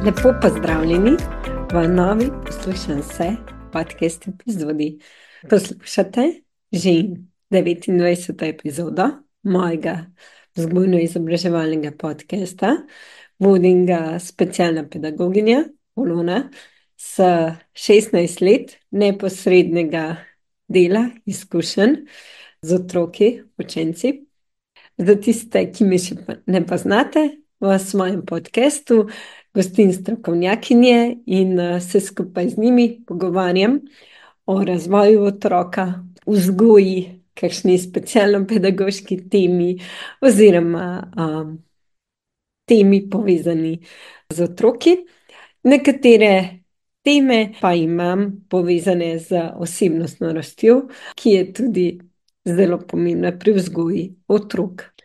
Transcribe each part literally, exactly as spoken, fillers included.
Lepo pozdravljeni v novi Poslušam se podcast epizodi. Poslušate že devetindvajseto epizodo mojega vzgojno-izobraževalnega podcasta. Vodim ga specialna pedagoginja Polona s šestnajst let neposrednega dela, izkušenj z otroki, učenci. Za tiste, ki me še ne poznate, v svojem podcastu gostim strokovnjakinje in se skupaj z njimi pogovarjam o razvoju otroka, vzgoji, kakšni specialno-pedagoški temi oziroma um, temi povezani z otroki. Nekatere teme pa imam povezane z osebnostno rastjo, ki je tudi zelo pomembna pri vzgoji otrok.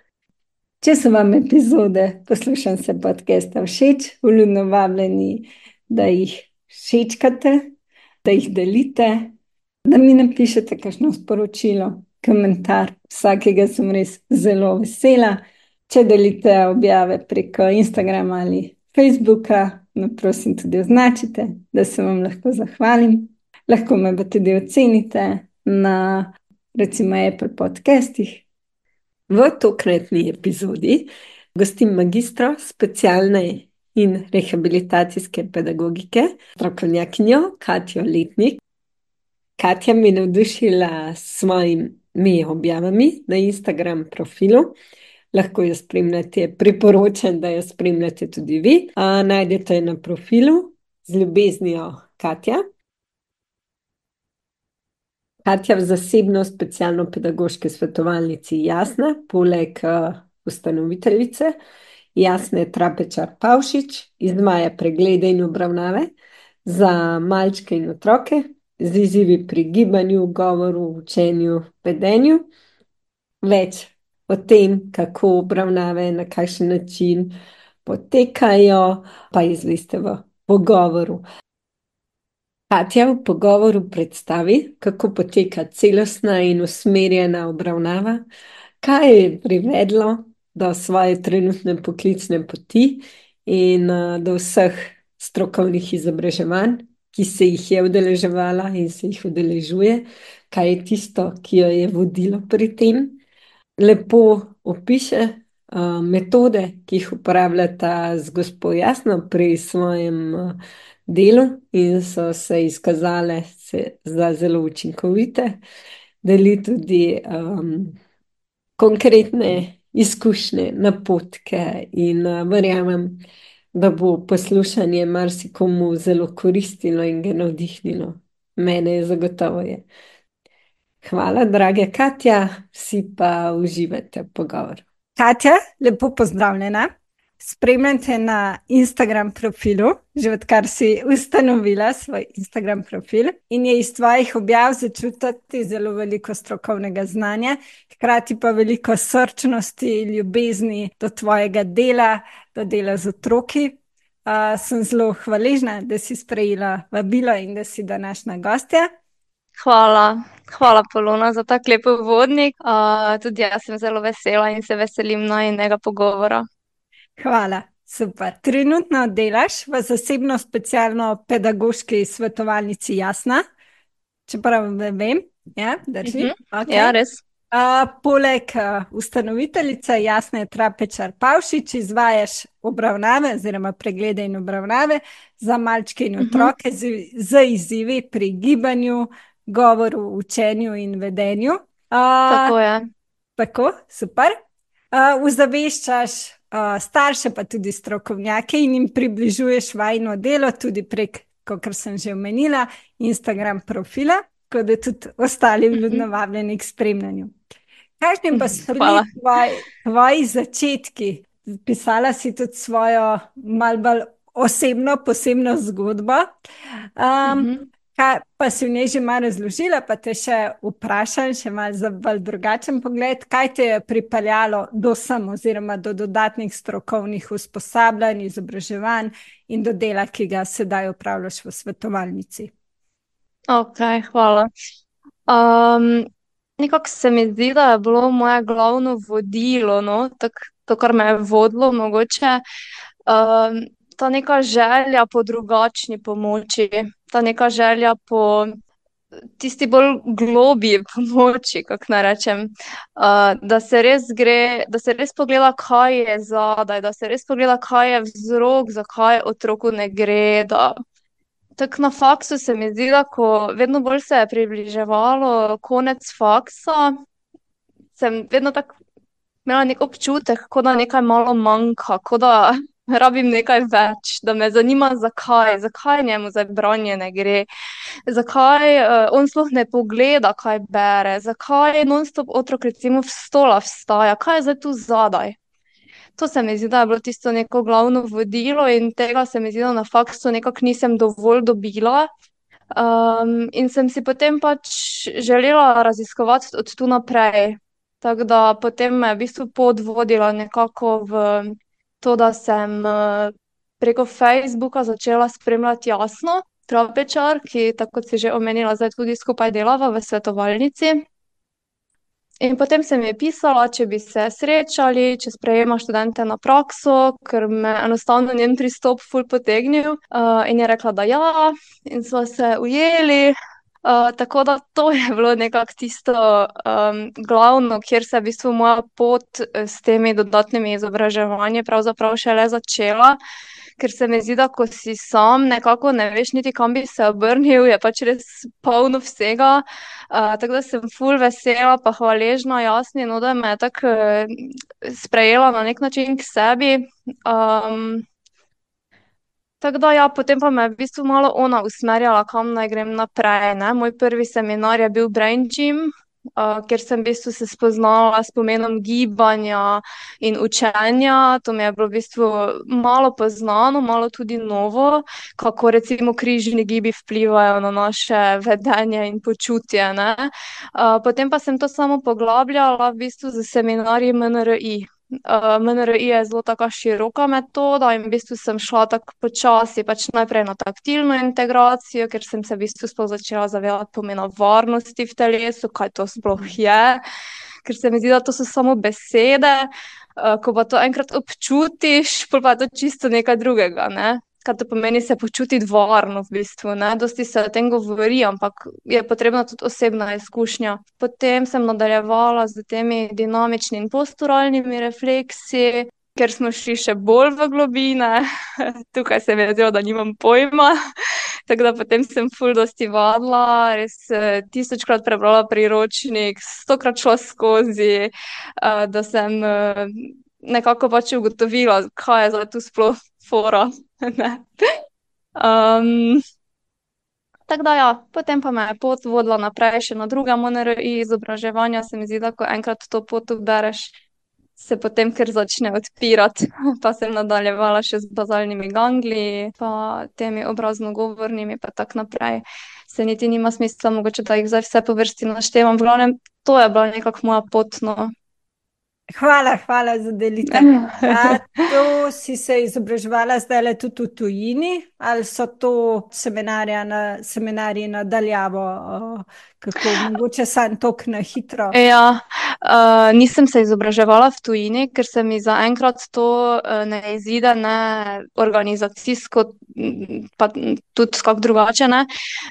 Če so vam epizode Poslušam se podcasta všeč, vljudno vabljeni, da jih všečkate, da jih delite, da mi napišete kakšno sporočilo, komentar. Vsakega sem res zelo vesela. Če delite objave preko Instagrama ali Facebooka, me prosim tudi označite, da se vam lahko zahvalim. Lahko me pa tudi ocenite na recimo Apple podcastih. V tokratni epizodi gostim magistro specialne in rehabilitacijske pedagogike, strokovnjakinjo Katjo Letnik. Katja me je navdušila s svojimi objavami na Instagram profilu. Lahko jo spremljate, priporočam, da jo spremljate tudi vi. A, najdete jo na profilu z ljubeznijo Katja. Katja v zasebno specialno pedagoški svetovalnici Jasna, poleg uh, ustanoviteljice Jasne Trapečar Pavšič, izvaja preglede in obravnave za malčke in otroke z izzivi pri gibanju, govoru, učenju, vedenju. Več o tem, kako obravnave, na kakšen način potekajo, pa izveste v pogovoru. Katja v pogovoru predstavi, kako poteka celostna in usmerjena obravnava, kaj je privedlo do svoje trenutne poklicne poti in uh, do vseh strokovnih izobraževanj, ki se jih je udeleževala in se jih udeležuje, kaj je tisto, ki jo je vodilo pri tem. Lepo opiše uh, metode, ki jih uporabljata z gospo Jasno pri svojem uh, delu in so se izkazale se za zelo učinkovite. Deli tudi um, konkretne izkušnje, napotke in uh, verjamem, da bo poslušanje marsikomu zelo koristilo in ga navdihnilo. Mene je zagotovo je. Hvala, draga Katja, vsi pa uživate v pogovoru. Katja, lepo pozdravljena. Spremljam te na Instagram profilu, že odkar si ustanovila svoj Instagram profil in je iz tvojih objav začutiti zelo veliko strokovnega znanja, hkrati pa veliko srčnosti, ljubezni do tvojega dela, do dela z otroki. Uh, sem zelo hvaležna, da si sprejela vabilo in da si današnja gostja. Hvala, hvala Polona za tak lep uvodnik. Uh, tudi jaz sem zelo vesela in se veselim najinega pogovora. Hvala, super. Trenutno delaš v zasebno specialno pedagoški svetovalnici Jasna, čeprav ne vem, ja, drži? Mhm. Okay. Ja, res. Uh, poleg uh, ustanoviteljice Jasne Trapečar Pavšič izvajaš obravnave oziroma preglede in obravnave za malčke in otroke z, z izzivi pri gibanju, govoru, učenju in vedenju. Uh, Tako je. Tako, super. Uh, Ozaveščaš uh, starše pa tudi strokovnjake in jim približuješ vajino delo tudi prek, kakor sem že omenila, Instagram profila, tako da tudi ostali vljudno vabljeni k spremljanju. Kakšni pa so bili tvoj, tvoji začetki? Pisala si tudi svojo malo bolj osebno, posebno zgodbo. Um, Mhm. kaj, pa si v njej že malo razložila, pa te še vprašam, še malo za bolj drugačen pogled, kaj te je pripeljalo do sem oziroma do dodatnih strokovnih usposabljanj, izobraževanj in do dela, ki ga sedaj opravljaš v svetovalnici. Ok, hvala. Um, nekako se mi zdi, da je bilo moje glavno vodilo, no, tak, to, kar me je vodilo, mogoče um, ta neka želja po drugačni pomoči, ta neka želja po tisti bolj globji pomoči, kako naj rečem, uh, da se res gre, da se res pogleda, kaj je zadaj, da se res pogleda, kaj je vzrok, zakaj otroku ne gre. Da... Tako na faksu se mi zdi, da ko vedno bolj se je približevalo konec faksa, sem vedno tako imela nek občutek, kot da nekaj malo manjka, kot da rabim nekaj več, da me zanima, zakaj, zakaj njemu za branje ne gre, zakaj uh, on sploh ne pogleda, kaj bere, zakaj non-stop otrok recimo v stola vstaja, kaj je zdaj tu zadaj. To se mi zdi, da je bilo tisto neko glavno vodilo in tega se mi zdi, da na faksu nekako nisem dovolj dobila. Um, in sem si potem pač želela raziskovati od tu naprej. Tako da potem me je v bistvu pot vodila nekako v to, da sem uh, preko Facebooka začela spremljati Jasno Trapečar, ki, tako kot si že omenila, zdaj tudi skupaj delava v svetovalnici. In potem sem ji pisala, če bi se srečali, če sprejema študente na prakso, ker me enostavno njen pristop ful potegnil. Uh, in je rekla, da ja, in smo se ujeli. Uh, tako da to je bilo nekako tisto um, glavno, kjer se je v bistvu moja pot s temi dodatnimi izobraževanji pravzaprav šele začela. Ker se mi zdi, da ko si sam nekako ne veš niti kam bi se obrnil, je pač res polno vsega. Uh, tako da sem ful vesela pa hvaležna Jasni, no, da me je tako uh, sprejela na nek način k sebi. Um, tako da ja, potem pa me je v bistvu malo ona usmerjala, kam naj grem naprej, ne. Moj prvi seminar je bil Brain Gym, Uh, ker sem v bistvu se spoznala s pomenom gibanja in učenja. To mi je bilo v bistvu malo poznano, malo tudi novo, kako recimo križni gibi vplivajo na naše vedenje in počutje, ne. Uh, potem pa sem to samo poglabljala v bistvu z seminarji M N R I. Uh, M N R I je zelo taka široka metoda in v bistvu sem šla tako počasi, pač najprej na taktilno integracijo, ker sem se v bistvu sploh začela zavedati pomena varnosti v telesu, kaj to sploh je, ker se mi zdi, da to so samo besede, uh, ko pa to enkrat občutiš, pol pa je to čisto nekaj drugega, ne. Kaj to pomeni se počutiti varno v bistvu, ne. Dosti se o tem govori, ampak je potrebna tudi osebna izkušnja. Potem sem nadaljevala s temi dinamičnimi in posturalnimi refleksi, ker smo šli še bolj v globine. Tukaj se mi je zdelo, da nimam pojma. Tako da potem sem ful dosti vadila, res tisočkrat prebrala priročnik, stokrat šla skozi, uh, da sem uh, nekako pač ugotovila, kaj je zdaj tu sploh fora. um, tako da ja, potem pa me je pot vodila naprej še na druga M N R I izobraževanja. Se mi zdi, da ko enkrat to pot ubereš, se potem kar začne odpirati. Pa sem nadaljevala še z bazalnimi gangliji, pa temi obrazno-govornimi, pa tako naprej. Se niti nima smisla, mogoče da jih zdaj vse po vrsti naštevam. V glavnem, to je bila nekako moja pot, no. Hvala, hvala za delitev. A to si se izobraževala zdaj tudi v tujini, ali so to seminarja na, seminarji na daljavo, kako mogoče sam tok na hitro? Ja, uh, nisem se izobraževala v tujini, ker se mi zaenkrat to uh, ne izide, ne organizacijsko, pa tudi kako drugače, ne.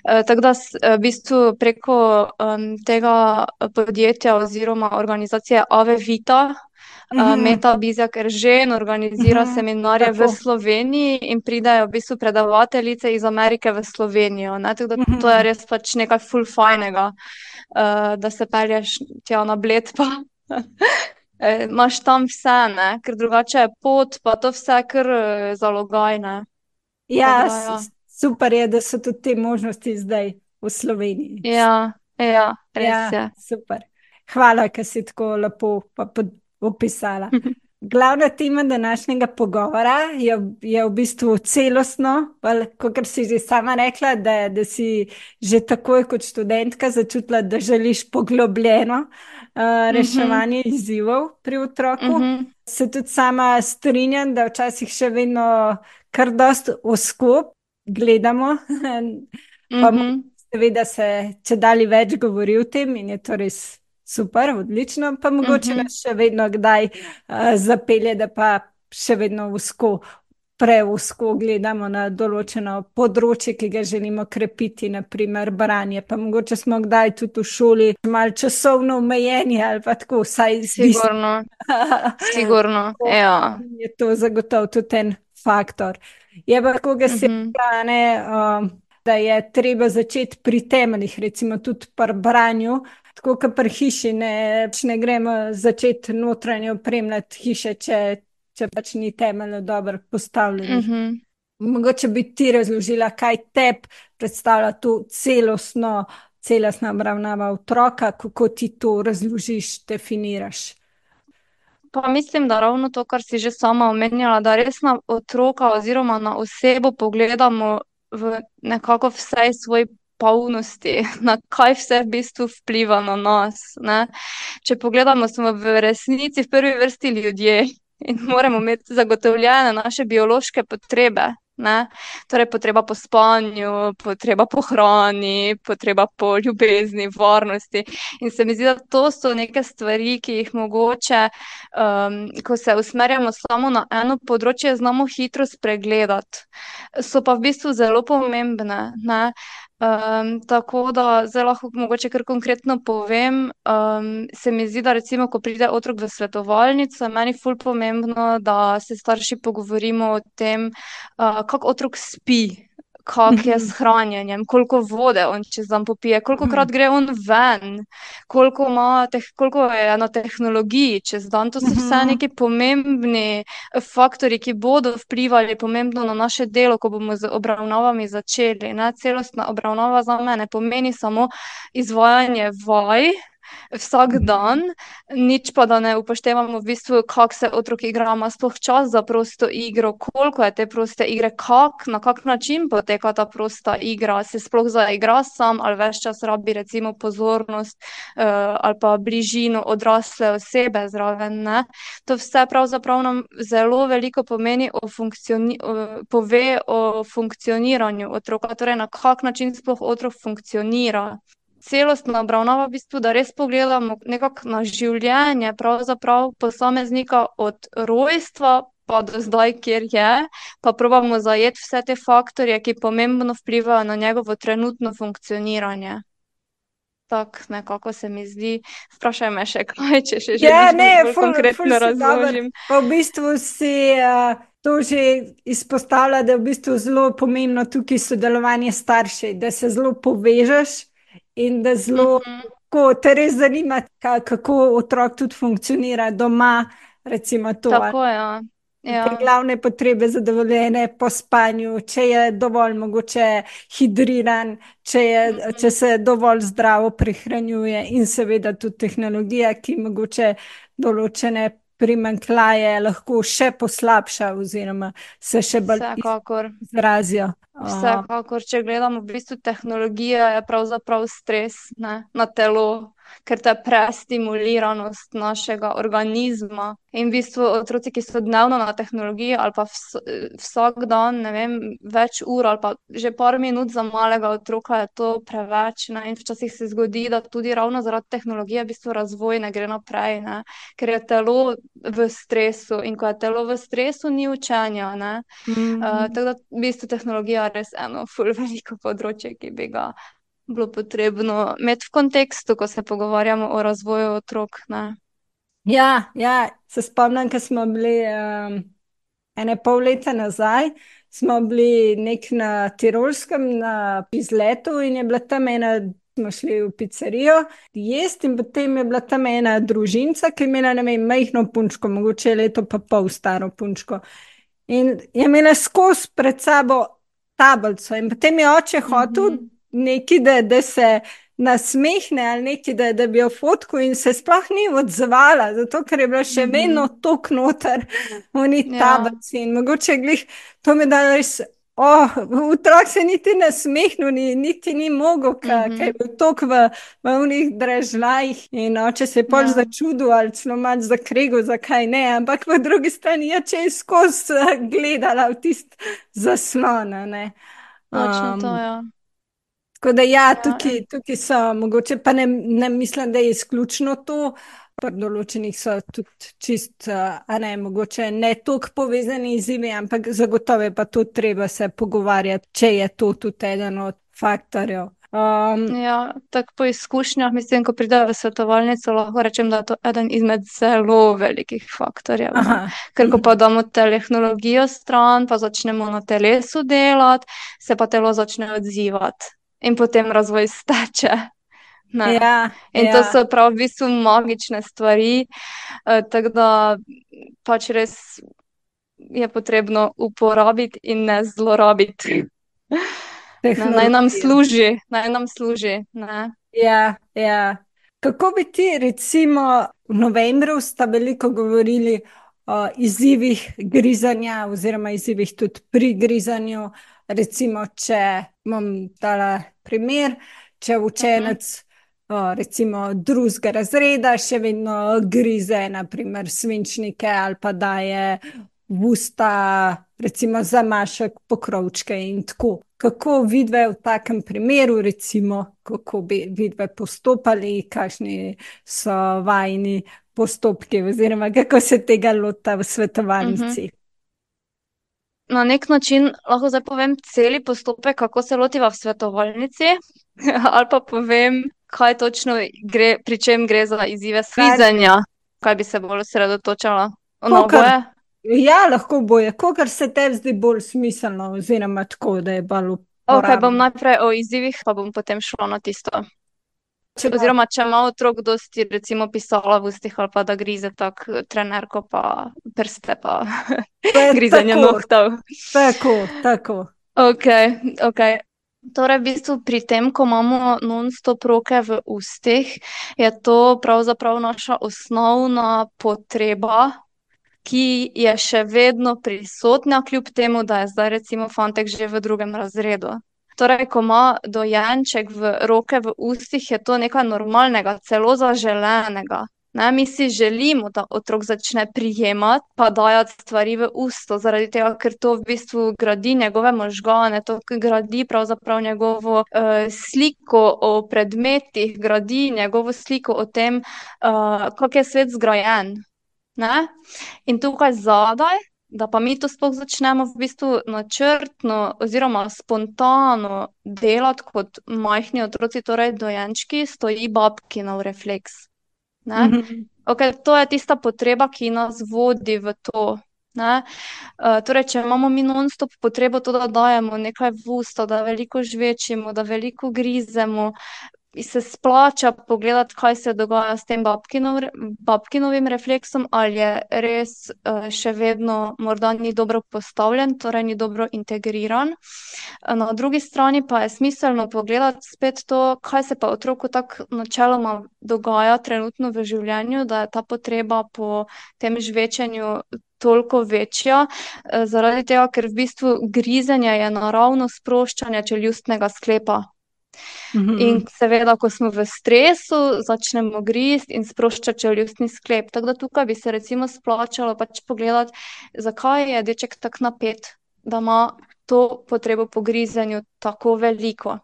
Uh, tako da s, v bistvu preko um, tega podjetja oziroma organizacije Ave Vita, uh, Meta Bizjak Eržen organizira Mhm, seminarje v tako. Sloveniji in pridejo v bistvu predavateljice iz Amerike v Slovenijo, ne. Tako da to je res pač nekaj ful fajnega. Uh, da se pelješ tja na Bled, pa imaš tam vse, ne, ker drugače je pot, pa to vse kar uh, zalogaj, ne. Ja, Tako da, s- ja. s- super je, da so tudi te možnosti zdaj v Sloveniji. Ja, ja, res Ja, je. super. Hvala, ker si tako lepo pa pod- opisala. Glavna tema današnjega pogovora je, je v bistvu celostno, kot si že sama rekla, da, da si že takoj kot študentka začutila, da želiš poglobljeno uh, reševanje izzivov pri otroku. Se tudi sama strinjam, da včasih še vedno kar dost oskop gledamo, pa seveda se če dalje več govori o tem in je to res super, odlično, pa mogoče nas še vedno kdaj uh, zapelje, da pa še vedno usko preuzko gledamo na določeno področje, ki ga želimo krepiti, naprimer branje. Pa mogoče smo kdaj tudi v šoli malo časovno omejeni ali pa tako, vsaj zdi se. Sigurno, sigurno, ja. Je to zagotovo tudi en faktor. Je pa tako, da se Mhm, plane, um, da je treba začeti pri temeljih, recimo tudi pri branju, tako kot pri hiši, ne, pač ne gremo začeti notranje opremljati hiše, če, če pač ni temeljno dobro postavljenih. mhm. Mogoče bi ti razložila, kaj tebi predstavlja to celostno, celostna obravnava otroka, kako ti to razložiš, definiraš. Pa mislim, da ravno to, kar si že sama omenjala, da res na otroka oziroma na osebo pogledamo v nekako vsej svoji polnosti, na kaj vse v bistvu vpliva na nas, ne. Če pogledamo, smo v resnici v prvi vrsti ljudje in moramo imeti zagotovljene naše biološke potrebe, ne. Torej potreba po spanju, potreba po hrani, potreba po ljubezni, varnosti. In se mi zdi, da to so neke stvari, ki jih mogoče, um, ko se usmerjamo samo na eno področje, znamo hitro spregledati. So pa v bistvu zelo pomembne, ne. Um, tako da zdaj lahko mogoče kar konkretno povem, um, se mi zdi, da recimo, ko pride otrok v svetovalnico, je meni ful pomembno, da se starši pogovorimo o tem, uh, kako otrok spi, kako je s Mhm, hranjenjem, koliko vode on čez dan popije, kolikokrat mhm, gre on ven, koliko ima teh, koliko je na tehnologiji čez dan. To so vse mhm, neki pomembni faktorji, ki bodo vplivali pomembno na naše delo, ko bomo z obravnavami začeli, ne. Celostna obravnava za me ne pomeni samo izvajanje vaj vsak dan, mhm, nič pa da ne upoštevamo v bistvu, kako se otrok igra, ima sploh čas za prosto igro, koliko je te proste igre, kak, na kak način poteka ta prosta igra, se sploh zaigra sam ali ves čas rabi recimo pozornost, uh, ali pa bližino odrasle osebe zraven, ne. To vse pravzaprav nam zelo veliko pomeni o funkcioni- o, pove o funkcioniranju otroka, torej na kak način sploh otrok funkcionira. Celostna obravnava v bistvu, da res pogledamo nekako na življenje pravzaprav posameznika od rojstva pa do zdaj, kjer je, pa probamo zajeti vse te faktorje, ki pomembno vplivajo na njegovo trenutno funkcioniranje. Tako nekako se mi zdi. Vprašaj me še kaj, če še Ja, želiš, da ne, bolj ful, ful konkretno si dober. razložim. Pa v bistvu si uh, to že izpostavlja, da je v bistvu zelo pomembno tukaj sodelovanje staršev, da se zelo povežeš in da zelo, Mhm. ko te res zanima, ka, kako otrok tudi funkcionira doma, recimo to, ali Tako, ja. te Ja. glavne potrebe zadovoljene po spanju, če je dovolj mogoče hidriran, če je, če Mhm. se dovolj zdravo prehranjuje in seveda tudi tehnologija, ki mogoče določene primanjkljaje lahko še poslabša oziroma se še bolj Vsekakor. izrazijo. Uh, Vsekakor, če gledamo v bistvu tehnologija, je pravzaprav stres, ne, na telo, ker to je prestimuliranost našega organizma. In v bistvu otroci, ki so dnevno na tehnologiji ali pa vs vsak dan, ne vem, več ur ali pa že par minut za malega otroka je to preveč, ne. In včasih se zgodi, da tudi ravno zaradi tehnologije v bistvu razvoj ne gre naprej, ne, ker je telo v stresu in ko je telo v stresu, ni učenja, ne. Uh, mm, tako da v bistvu tehnologija je res eno ful veliko področje, ki bi ga bilo potrebno imeti v kontekstu, ko se pogovarjamo o razvoju otrok, ne. ja, ja, se spomnim, ko smo bili um, ene pol leta nazaj, smo bili nek na Tirolskem na izletu in je bila tam ena, smo šli v pizzerijo jesti in potem je bila tam ena družinca, ki je imela, ne vem, majhno punčko, mogoče leto pa pol staro punčko. In je imela skozi pred sabo tablico in potem je oče hotel Mhm. neki, da, da se nasmehne ali neki, da, da bi jo fotko in se sploh ni odzvala, zato ker je bila še vedno Mhm. tok noter v ni Ja. tablici in mogoče glih, to mi da res, oh, otrok se niti nasmehnil, ni, niti ni mogel, ker je Mhm. bil tok v, v unih dražljajih in oče se je pol Ja. začudil ali celo malo zakregel, zakaj ne, ampak po drugi strani je če je skozi eh, gledala v tist zaslon, a ne. Točno to, Um, ja. tako da ja, Ja, tukaj, tukaj so mogoče, pa ne, ne mislim, da je izključno to, pri določenih so tudi čist, uh, a ne, mogoče ne toliko povezani izzivi, ampak zagotovo je pa tudi treba se pogovarjati, če je to tudi eden od faktorjev. Um, Ja, tako po izkušnjah, mislim, ko pridejo v svetovalnico, lahko rečem, da je to eden izmed zelo velikih faktorjev. No. aha, Ker ko pa damo tehnologijo stran, pa začnemo na telesu delati, se pa telo začne odzivati in potem razvoj steče. Ne. ja, In to ja, so prav v bistvu magične stvari, eh, tako da pač res je potrebno uporabiti in ne zlorabiti. Ne, naj nam tehnologija. služi, naj nam služi. Ne. Ja, ja. Kako bi ti, recimo, v novembru sta veliko govorili o izzivih grizanja, oziroma izzivih tudi pri grizanju. Recimo, če bom dala primer, če Mhm. učenec, o, recimo, drugega razreda še vedno grize, naprimer, svinčnike ali pa daje v usta, recimo, zamašek, pokrovčke in tako. Kako vidve v takem primeru, recimo, kako bi vidve postopali, kakšni so vajni postopki, oziroma kako se tega lota v Mhm. svetovalnici? Na nek način lahko zdaj povem celi postopek, kako se lotiva v svetovalnici, ali pa povem, kaj točno gre, pri čem gre za izzive Kar, skvizanja, kaj bi se bolj osredotočala. Na kokar, oboje? ja, lahko boje, kokar se tebi zdi bolj smiselno, oziroma tako, da je bolj Ok, bom uporabno. najprej o izzivih, pa bom potem šla na tisto. Če bo, Oziroma, če ima otrok dosti, recimo, pisala v ustih ali pa da grize tak trenerko pa prste pa to je grizanje tako, nohtov. tako, tako. Ok, ok. Torej, v bistvu pri tem, ko imamo non-stop roke v ustih, je to pravzaprav naša osnovna potreba, ki je še vedno prisotna, kljub temu, da je zdaj recimo fantek že v drugem razredu. Torej, ko ima dojenček v roke v ustih, je to nekaj normalnega, celo zaželenega. Ne, mi si želimo, da otrok začne prijemati, pa dajati stvari v usto, zaradi tega, ker to v bistvu gradi njegove možgane, to gradi pravzaprav njegovo uh, sliko o predmetih, gradi njegovo sliko o tem, uh, kako je svet zgrajen. Ne? In tukaj zadaj, da pa mi to sploh začnemo v bistvu načrtno oziroma spontano delati kot majhni otroci, torej dojenčki, stoji babkinov refleks. Ne? Mhm, Okay, to je tista potreba, ki nas vodi v to. Ne? Uh, torej, če imamo mi non-stop potrebo to, da dajemo nekaj v usta, da veliko žvečimo, da veliko grizemo, se splača pogledati, kaj se dogaja s tem babkinov, babkinovim refleksom, ali je res uh, še vedno morda ni dobro postavljen, torej ni dobro integriran. Na drugi strani pa je smiselno pogledati spet to, kaj se pa otroku tako načeloma dogaja trenutno v življenju, da je ta potreba po tem žvečenju toliko večja, eh, zaradi tega, ker v bistvu grizenje je naravno sproščanje čeljustnega sklepa. In mhm, seveda, ko smo v stresu, začnemo gristi in sproščati čeljustni sklep. Tako da tukaj bi se recimo splačalo pač pogledati, zakaj je deček tako napet, da ima to potrebo po grizenju tako veliko.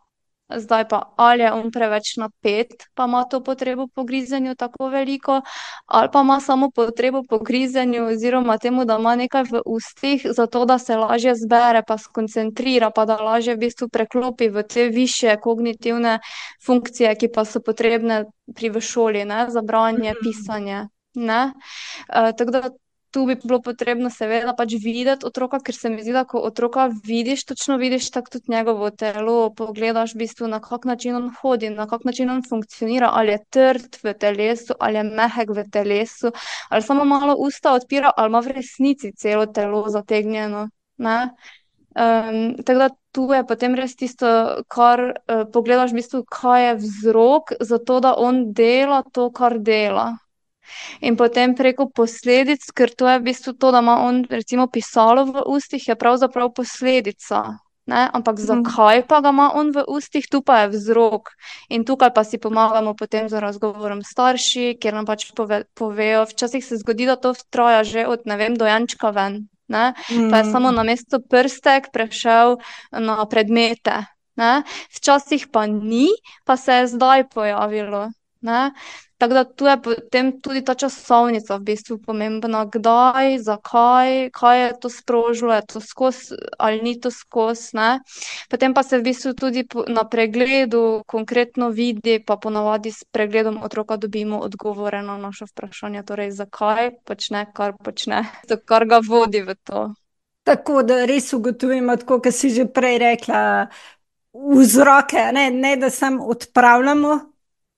Zdaj pa, ali je on preveč napet, pa ima to potrebo po grizenju tako veliko, ali pa ima samo potrebo po grizenju oziroma temu, da ima nekaj v ustih, zato da se lažje zbere, pa skoncentrira, pa da lažje v bistvu preklopi v te višje kognitivne funkcije, ki pa so potrebne pri v šoli, ne, za branje, mhm, pisanje, ne. Uh, tako da tu bi bilo potrebno seveda pač videti otroka, ker se mi zdi, da ko otroka vidiš, točno vidiš tako tudi njegovo telo, pogledaš v bistvu, na kak način on hodi, na kak način on funkcionira, ali je trd v telesu, ali je mehek v telesu, ali samo malo usta odpira, ali ima v resnici celo telo zategnjeno, ne. Um, tako da tu je potem res tisto, kar uh, pogledaš v bistvu, kaj je vzrok za to, da on dela to, kar dela. In potem preko posledic, ker to je v bistvu to, da ima on recimo pisalo v ustih, je pravzaprav posledica. Ne? Ampak mhm, zakaj pa ga ima on v ustih, tu pa je vzrok. In tukaj pa si pomagamo potem z razgovorom s starši, kjer nam pač pove, povejo, včasih se zgodi, da to traja že od, ne vem, dojenčka ven. Ne? Pa je samo mhm, na mesto prstek prešel na predmete. Ne? Včasih pa ni, pa se je zdaj pojavilo. Ne? Tako da tu je potem tudi ta časovnica v bistvu pomembna, kdaj, zakaj, kaj je to sprožilo, je to skozi ali ni to skozi, ne. Potem pa se v bistvu tudi na pregledu konkretno vidi, pa ponavadi s pregledom otroka dobimo odgovore na naša vprašanja, torej zakaj počne, kar počne, kar ga vodi v to. Tako da res ugotovimo, tako kot si že prej rekla, vzroke, ne, ne da samo odpravljamo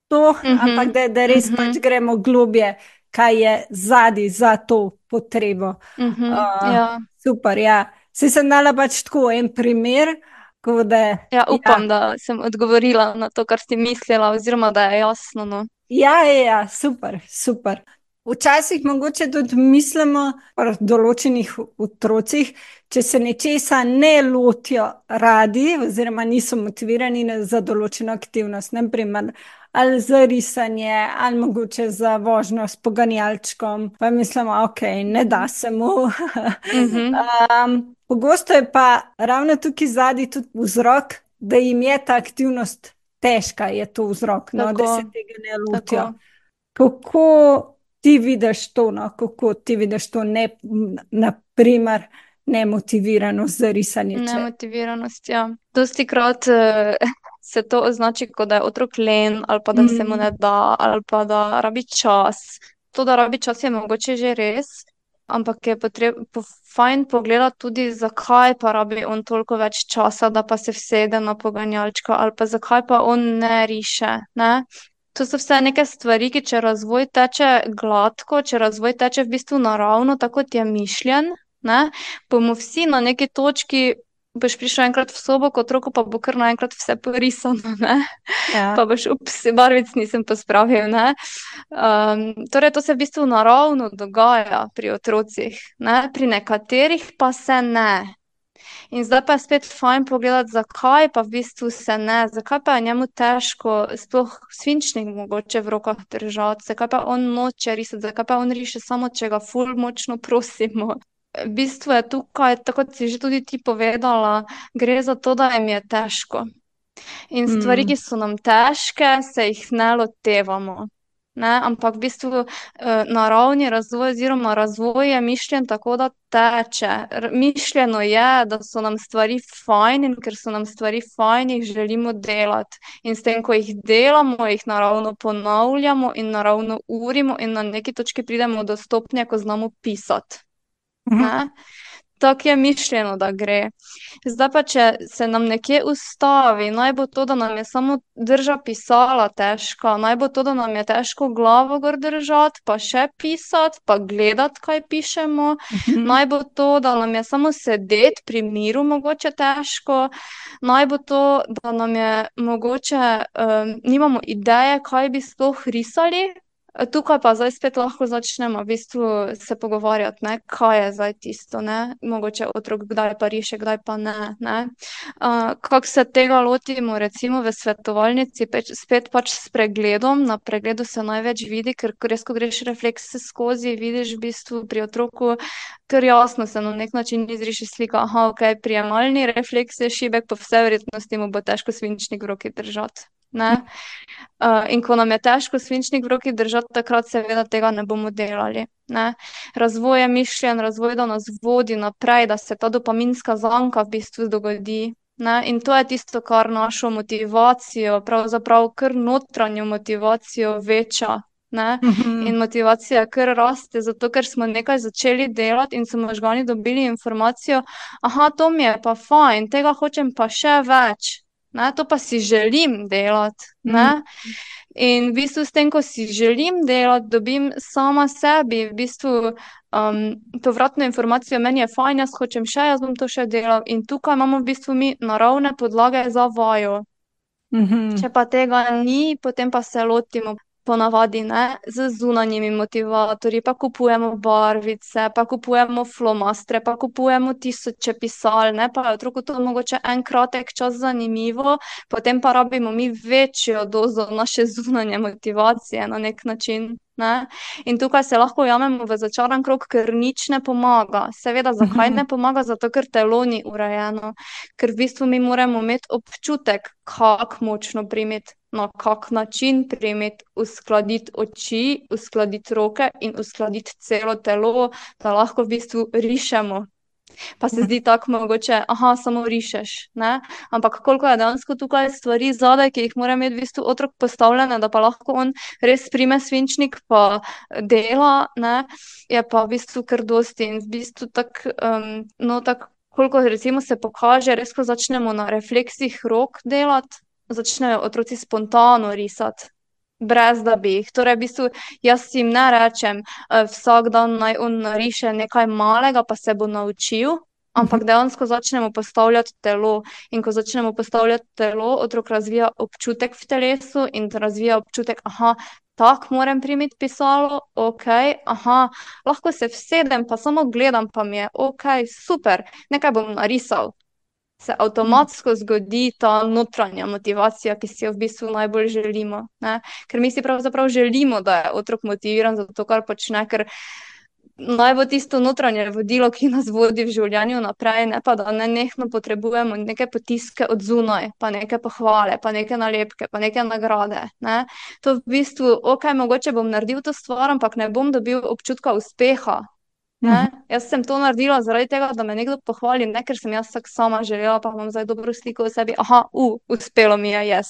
to, ampak da, da res pač gremo globje, kaj je zadaj za to potrebo. Uh, ja. Super, ja. Se sem dala pač tako en primer, ko da. Ja, upam, Ja. da sem odgovorila na to, kar si mislila, oziroma da je jasno, no. Ja, ja, ja, super, super. Včasih mogoče tudi mislimo pri določenih otrocih, če se nečesa ne lotijo radi, oziroma niso motivirani na- za določeno aktivnost, naprimer ali za risanje, ali mogoče za vožnjo s poganjalčkom, pa mislimo, ok, ne da se mu. Mhm. Um, pogosto je pa ravno tukaj zadaj tudi vzrok, da jim je ta aktivnost težka, je to vzrok, no, da se Tako, tega ne lotijo. tako. Kako ti vidiš to, no? Kako ti vidiš to, ne, naprimer, nemotiviranost za risanje? Če... Nemotiviranost, ja. Dostikrat uh, se to označi, kot da je otrok len, ali pa da se mu Mm. ne da, ali pa da rabi čas. To, da rabi čas, je mogoče že res, ampak je potrebno po, fajn pogledati tudi, zakaj pa rabi on toliko več časa, da pa se vsede na poganjalčka, ali pa zakaj pa on ne riše, ne? To so vse neke stvari, ki če razvoj teče gladko, če razvoj teče v bistvu naravno, tako kot je mišljen, ne, bomo vsi na neki točki, boš prišel enkrat v sobo k otroku, pa bo kar naenkrat vse porisano, ne. Ja. Pa boš, ups, barvic nisem pospravil, ne. Um, torej, to se v bistvu naravno dogaja pri otrocih, ne, pri nekaterih pa se ne. In zdaj pa je spet fajn pogledati, zakaj pa v bistvu se ne, zakaj pa je njemu težko sploh svinčnik mogoče v rokah držati, zakaj pa on noče risati, zakaj pa on riše samo, če ga ful močno prosimo. V bistvu je tukaj, tako kot si že tudi ti povedala, gre za to, da jim je težko. In stvari, Mm. ki so nam težke, se jih ne lotevamo. Ne, ampak v bistvu eh, naravni razvoj oziroma razvoj je mišljen tako, da teče. R mišljeno je, da so nam stvari fajn, in ker so nam stvari fajn, jih želimo delati. In s tem, ko jih delamo, jih naravno ponavljamo in naravno urimo in na neki točki pridemo do stopnje, ko znamo pisati. Ne? Tako je mišljeno, da gre. Zdaj pa, če se nam nekje ustavi, naj bo to, da nam je samo drža pisala težka, naj bo to, da nam je težko glavo gor držati, pa še pisati, pa gledati, kaj pišemo, Mhm. naj bo to, da nam je samo sedeti pri miru mogoče težko, naj bo to, da nam je mogoče, um, nimamo ideje, kaj bi sploh risali. Tukaj pa zdaj spet lahko začnemo v bistvu se pogovarjati, ne, kaj je zdaj tisto, ne, mogoče otrok kdaj pa riše, kdaj pa ne, ne. Uh, kako se tega lotimo recimo v svetovalnici, peč, spet pač s pregledom, na pregledu se največ vidi, ker res, ko greš reflekse skozi, vidiš v bistvu pri otroku, ker jasno se na nek način izriše slika, aha, ok, prijemalni refleks je šibek, po vsej verjetnosti mu bo težko svinčnik v roki držati, ne. Uh, in ko nam je težko svinčnik v roki držati, takrat seveda tega ne bomo delali, ne. Razvoj je mišljen, razvoj, da nas vodi naprej, da se ta dopaminska zanka v bistvu dogodi, ne. In to je tisto, kar našo motivacijo, pravzaprav kar notranjo motivacijo veča, ne. Mhm. In motivacija kar raste, zato ker smo nekaj začeli delati in so možgani dobili informacijo, aha, to mi je pa fajn, tega hočem pa še več. Ne, to pa si želim delati, ne. In v bistvu s tem, ko si želim delati, dobim sama sebi v bistvu um, povratno informacijo, meni je fajn, jaz hočem še, jaz bom to še delal. In tukaj imamo v bistvu mi naravne podlage za vajo. Mhm. Če pa tega ni, potem pa se lotimo ponavadi, ne, z zunanjimi motivatorji, pa kupujemo barvice, pa kupujemo flomastre, pa kupujemo tisoče pisal, ne, pa je otroku to mogoče en kratek čas zanimivo, potem pa rabimo mi večjo dozo naše zunanje motivacije na nek način, ne. In tukaj se lahko ujamemo v začaran krog, ker nič ne pomaga. Seveda, zakaj ne pomaga? Zato, ker telo ni urejeno. Ker v bistvu mi moramo imeti občutek, kako močno primeti na kak način primeti, uskladiti oči, uskladiti roke in uskladiti celo telo, da lahko v bistvu rišemo. Pa se zdi tako mogoče, aha, samo rišeš, ne? Ampak koliko je dejansko tukaj stvari zadaj, ki jih mora imeti v bistvu otrok postavljene, da pa lahko on res prime svinčnik pa dela, ne? Je pa v bistvu kar dosti in v bistvu tako, um, no tako, koliko recimo se pokaže, res ko začnemo na refleksih rok delati, začnejo otroci spontano risati. Brez da bi jih. Torej, v bistvu, jaz jim ne rečem, uh, vsak dan naj on nariše nekaj malega, pa se bo naučil, ampak dejansko začnemo postavljati telo. In ko začnemo postavljati telo, otrok razvija občutek v telesu in razvija občutek, aha, tako moram primiti pisalo, ok, aha, lahko se vsedem, pa samo gledam, pa mi je ok, super, nekaj bom narisal. Se avtomatsko zgodi ta notranja motivacija, ki si jo v bistvu najbolj želimo, ne? Ker mi si pravzaprav želimo, da je otrok motiviran za to, kar počne, ker naj bo tisto notranje vodilo, ki nas vodi v življenju naprej, ne pa da nenehno potrebujemo neke potiske od zunaj, pa neke pohvale, pa neke nalepke, pa neke nagrade, ne? To v bistvu, ok, mogoče bom naredil to stvar, ampak ne bom dobil občutka uspeha. Ne? Jaz sem to naredila zaradi tega, da me nekdo pohvali, ne ker sem jaz tako sama želela, pa imam zdaj dobro sliko o sebi, aha, u, uspelo mi je, jaz.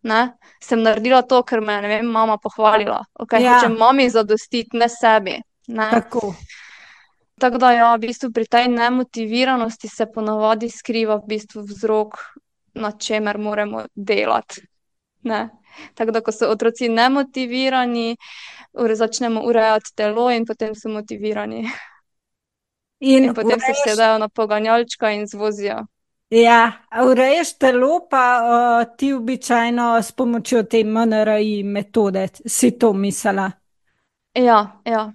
Ne? Sem naredila to, ker me, ne vem, mama pohvalila. Ok, Ja, hočem mami zadostiti, ne sebi. Ne? tako. Tako da ja, v bistvu pri tej nemotiviranosti se ponavadi skriva v bistvu vzrok, na čemer moramo delati. Ne? Tako da, ko so otroci nemotivirani, ure, začnemo urejati telo in potem so motivirani. In In potem se urejaš, vsedajo na poganjalčka in zvozijo. ja, a urejaš telo, pa uh, ti običajno s pomočjo te M N R I metode, si to mislila. Ja, ja.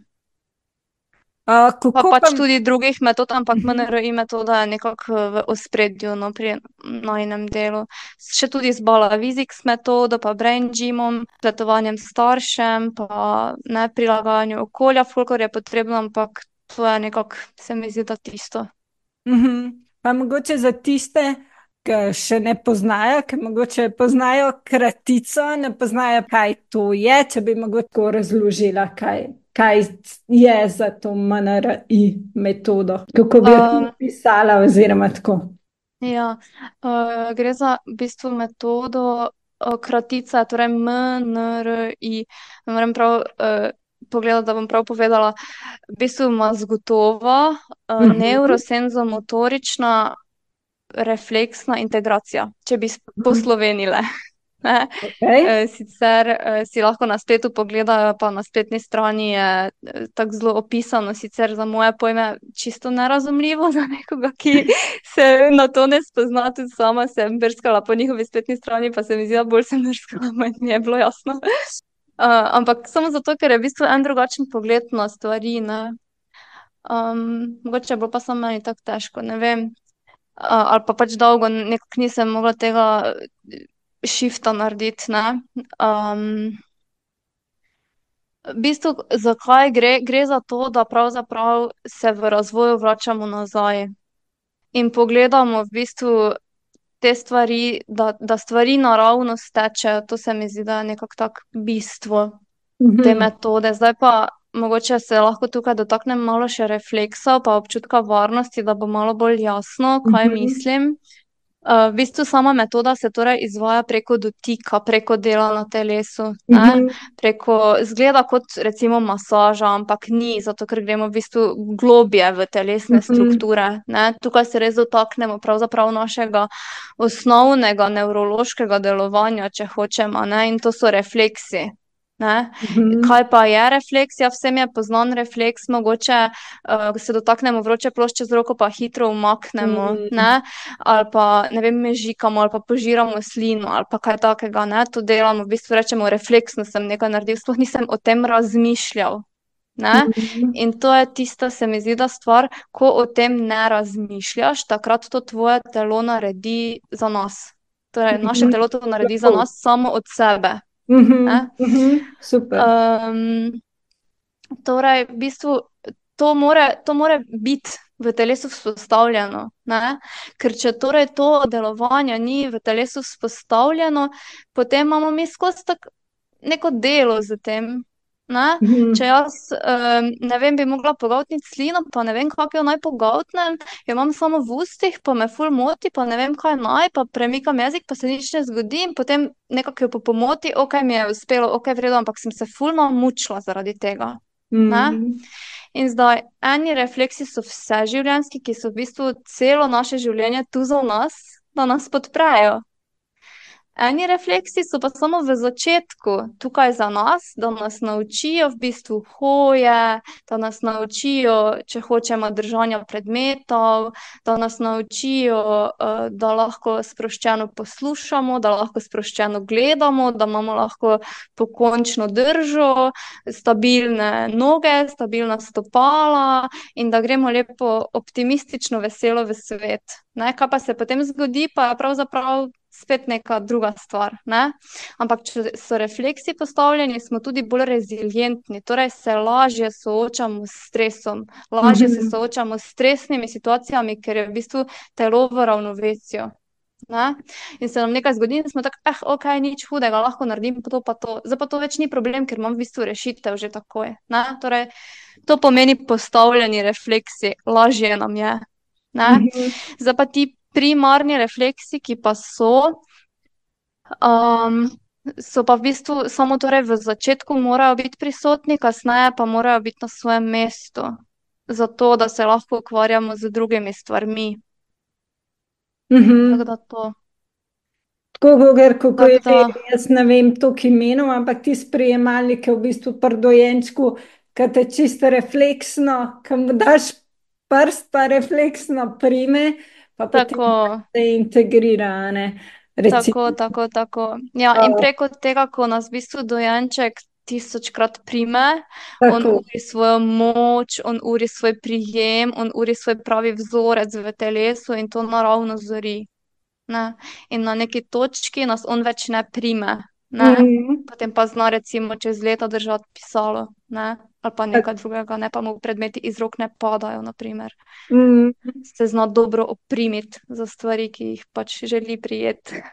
Uh, Pa kako pa? pač tudi drugih metod, ampak Mhm, M N R I metoda je nekako v ospredju, no, pri najinem delu. Še tudi z Balaviziks metodo, pa brain gymom, svetovanjem staršem, pa ne prilagajanju okolja, kolikor je potrebno, ampak to je nekako, se mi zdi, da tisto. mhm. Pa mogoče za tiste, ki še ne poznajo, ki mogoče poznajo kratico, ne poznajo, kaj to je, če bi mogoče tako razložila, kaj, kaj je za to M N R I metodo, kako bi jo ti Um, opisala, oziroma tako. ja, uh, gre za v bistvu metodo uh, kratica, torej M N R I. Ne morem prav uh, pogledati, da bom prav povedala. V bistvu mazgotova, uh, Mhm, neurosenzomotorična refleksna integracija, če bi mhm. poslovenile. Ne? Okay. Eh, Sicer eh, si lahko na spletu pogledajo, pa na spletni strani je eh, tako zelo opisano, sicer za moje pojme čisto nerazumljivo za nekoga, ki se na to ne spozna, tudi sama sem brskala po njihovi spletni strani, pa se mi zdi, da bolj sem brskala, manj mi je bilo jasno. Uh, ampak samo zato, ker je v bistvu en drugačen pogled na stvari, ne. Um, mogoče je bilo pa samo meni tako težko, ne vem. Uh, ali pa pač dolgo nekako nisem mogla tega shifta narediti, ne. Um, v bistvu, zakaj gre? Gre za to, da pravzaprav se v razvoju vračamo nazaj in pogledamo v bistvu te stvari, da, da stvari naravno stečejo. To se mi zdi, da je nekako tako bistvo te Mhm, metode. Zdaj pa mogoče se lahko tukaj dotaknem malo še refleksov pa občutka varnosti, da bo malo bolj jasno, kaj mhm, mislim. Uh, v bistvu sama metoda se torej izvaja preko dotika, preko dela na telesu, ne? mhm, Preko, zgleda kot recimo masaža, ampak ni, zato ker gremo v bistvu globje v telesne mhm, strukture, ne? Tukaj se res dotaknemo pravzaprav našega osnovnega nevrološkega delovanja, če hočemo, ne? In to so refleksi. Ne? mhm, Kaj pa je refleksija? Vsem je poznan refleks, mogoče uh, se dotaknemo vroče plošče z roko, pa hitro umaknemo, ne? mhm, Ali pa, ne vem, mežikamo, ali pa požiramo slino, ali pa kaj takega, ne? To delamo, v bistvu rečemo, refleksno sem nekaj naredil, sploh nisem o tem razmišljal, ne? mhm, In to je tista, se mi zdi, da stvar, ko o tem ne razmišljaš, takrat to tvoje telo naredi za nas. Torej, naše mhm. telo to naredi za Lahko. nas samo od sebe, Mhm, ne? mhm, super. Um, torej, v bistvu, to more, to more biti v telesu vzpostavljeno, ne? Ker če torej to delovanje ni v telesu vzpostavljeno, potem imamo mi skozi tak neko delo z tem, ne? Če Mhm. jaz, um, ne vem, bi mogla pogoltniti slino, pa ne vem, kako jo naj pogoltnem, jo imam samo v ustih, pa me ful moti, pa ne vem, kaj naj, pa premikam jezik, pa se nič ne zgodi in potem nekako jo po pomoti, ok, mi je uspelo, ok, v redu, ampak sem se ful mučila zaradi tega, ne? Mhm. In zdaj, eni refleksi so vseživljenjski, ki so v bistvu celo naše življenje tu za nas, da nas podprejo. Eni refleksi so pa samo v začetku tukaj za nas, da nas naučijo v bistvu hoje, da nas naučijo, če hočemo, držanja predmetov, da nas naučijo, eh, da lahko sproščeno poslušamo, da lahko sproščeno gledamo, da imamo lahko pokončno držo, stabilne noge, stabilna stopala in da gremo lepo optimistično, veselo v svet. Ne, kaj pa se potem zgodi, pa je pravzaprav spet neka druga stvar, ne? Ampak če so refleksi postavljeni, smo tudi bolj rezilientni, torej se lažje soočamo s stresom, lažje se Mhm. soočamo s stresnimi situacijami, ker je v bistvu telo v ravnovesju, ne? In se nam nekaj zgodi in smo tako, eh, ok, nič hudega, lahko naredim to pa to. Zdaj pa to več ni problem, ker imam v bistvu rešitev že takoj, ne? Torej, to pomeni postavljeni refleksi, lažje nam je, ne? Mhm. Zdaj pa ti primarni refleksi, ki pa so, um, so pa v bistvu samo torej v začetku morajo biti prisotni, kasneje pa morajo biti na svojem mestu, zato da se lahko ukvarjamo z drugimi stvarmi. Tako Mhm. da to. Tako, Goger, kako je Tako že, da, jaz ne vem toliko imenov, ampak ti sprejemalnike v bistvu pri dojenčku, ki te čisto refleksno, ki mu daš prst, pa refleksno prime, pa potem tako, se integrira, a ne, tako, recimo. tako, tako. Ja, in O, preko tega, ko nas v bistvu dojenček tisočkrat prime, on tako. uri svojo moč, on uri svoj prijem, on uri svoj pravi vzorec v telesu in to naravno zori. Ne? In na neki točki nas on več ne prime, ne? Mhm. Potem pa zna recimo čez leta držati pisalo, ne? Ali pa Tak- nekaj drugega, ne pa mu predmeti iz rok ne padajo, na primer. mhm. Se zna dobro oprimiti za stvari, ki jih pač želi prijeti.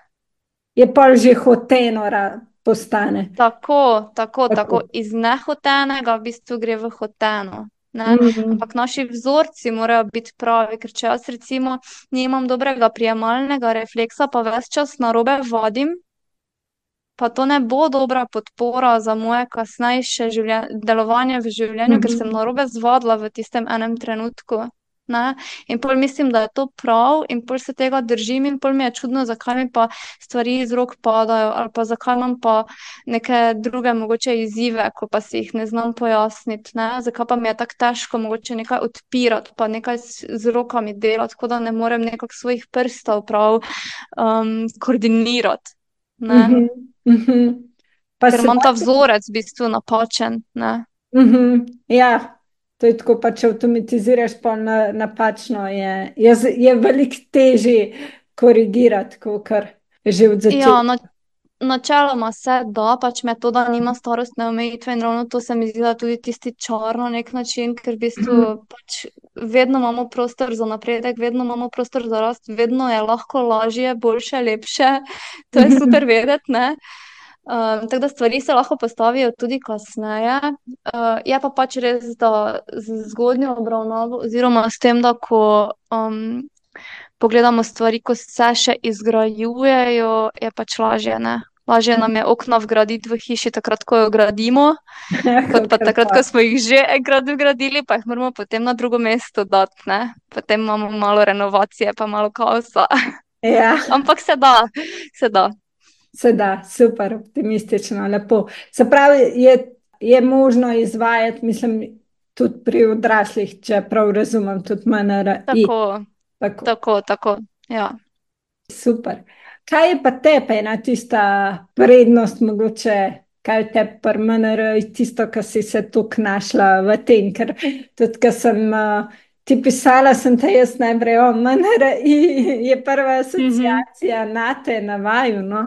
Je pa že hoteno ra- postane. Tako, tako, tako, Tako. iz nehotenega v bistvu gre v hoteno. Ne? Mhm. Ampak naši vzorci morajo biti pravi, ker če jaz recimo nimam dobrega prijemalnega refleksa, pa ves čas narobe vadim, pa to ne bo dobra podpora za moje kasnejše življen- delovanje v življenju, ker sem Mhm. narobe zvadila v tistem enem trenutku. Ne? In pol mislim, da je to prav, in pol se tega držim, in pol mi je čudno, zakaj mi pa stvari iz rok padajo, ali pa zakaj imam pa neke druge mogoče izzive, ko pa si jih ne znam pojasniti. Ne? Zakaj pa mi je tako težko mogoče nekaj odpirati, pa nekaj s, z rokami delati, tako da ne morem nekako svojih prstov prav um, koordinirati. Ne? Mhm. Mhm. Pa Ker se imam ta da. vzorec v bistvu napačen, ne. Mhm. Ja, to je tako, pa če avtomatiziraš, pa na, napačno je. Je, z- je veliko težje korigirati, kot kar že od Ja, začetka. na, načeloma se da, pač metoda nima starostne omejitve in ravno to se mi zdi, da je tudi tisti čar na nek način, ker v bistvu Mhm. pač vedno imamo prostor za napredek, vedno imamo prostor za rast, vedno je lahko lažje, boljše, lepše, to je super Mhm. vedeti, ne. Um, tako da stvari se lahko postavijo tudi kasneje. Uh, je pa pač res, da z zgodnjo obravnavo oziroma s tem, da ko um, pogledamo stvari, ko se še izgrajujejo, je pač lažje, ne? Lažje nam je okna vgraditi v hiši takrat, ko jo gradimo, kot pa Kakor takrat, pa. ko smo jih že enkrat vgradili, pa jih moramo potem na drugo mesto dati, ne? Potem imamo malo renovacije, pa malo kaosa. Ja, Ampak se da, se da. se da, super, optimistično, lepo. Se pravi, je, je možno izvajati, mislim, tudi pri odraslih, če prav razumem, tudi M N R I. Tako, Tako. tako, tako, ja. Super. Kaj je pa tebi ena tista prednost, mogoče, kaj je tebi pri M N R, tisto, kar si se tukaj našla v tem, ker tudi, ko sem uh, ti pisala, sem te jaz najprej o M N R in je prva Mhm. asociacija na te, na vaju, no?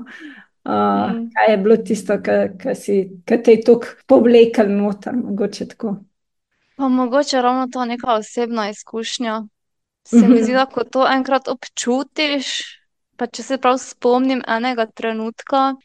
Uh, Mm. kaj je bilo tisto, kar si, kar te je tukaj povlekel noter, mogoče tako. Pa mogoče ravno to neka osebna izkušnja. Se mi zdi, Mhm. da ko to enkrat občutiš, pa če se prav spomnim enega trenutka,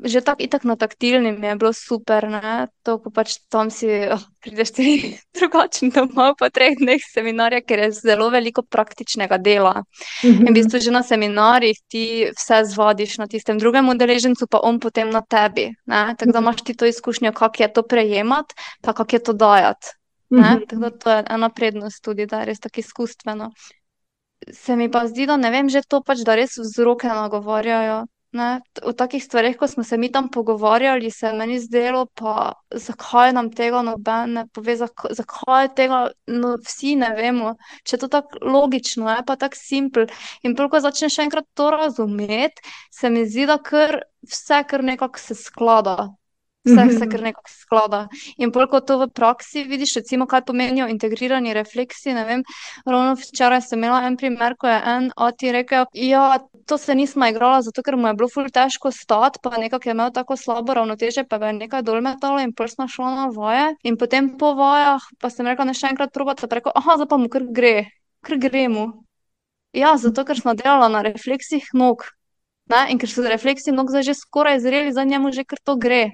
že tako itak na taktilni mi je bilo super, ne, to, ko pač tam si, oh, prideš ti drugačen domov po treh dneh seminarja, ker je zelo veliko praktičnega dela. In v Mhm. bistvu že na seminarjih ti vse zvadiš na tistem drugem udeležencu, pa on potem na tebi, ne, tako da imaš ti to izkušnjo, kako je to prejemati, pa kako je to dajati. Ne? Tako da Mhm. to je ena prednost tudi, da je res tako izkustveno. Se mi pa zdi, da ne vem, že to pač, da res vzroke nagovarjajo. Ne? T- O takih stvareh, ko smo se mi tam pogovarjali, se je meni zdelo, pa zakaj nam tega noben ne pove, zak zakaj tega no, vsi ne vemo, če je to tako logično, je pa tako simpel. In prav, ko začneš enkrat to razumeti, se mi zdi, da kar vse kar nekako se sklada. Vse se kar Mhm. nekako sklada. In bolj kot to v praksi vidiš, recimo, kaj pomenijo integrirani refleksi, ne vem, ravno včeraj sem imela en primer, ko je en ati rekel, ja, to se nisma igrala, zato ker mu je bilo ful težko stati, pa nekako je imel tako slabo ravnoteže, pa ga je nekaj dol metalo in pol sva šla na vaje. In potem po vajah, pa sem rekla, ne še enkrat probati, pa je rekel, aha, zdaj pa mu kar gre, kar gre mu. Ja, zato ker sva delala na refleksih nog. Ne? In ker so refleksi nog zdaj že skoraj zreli, za njemu že kar to gre.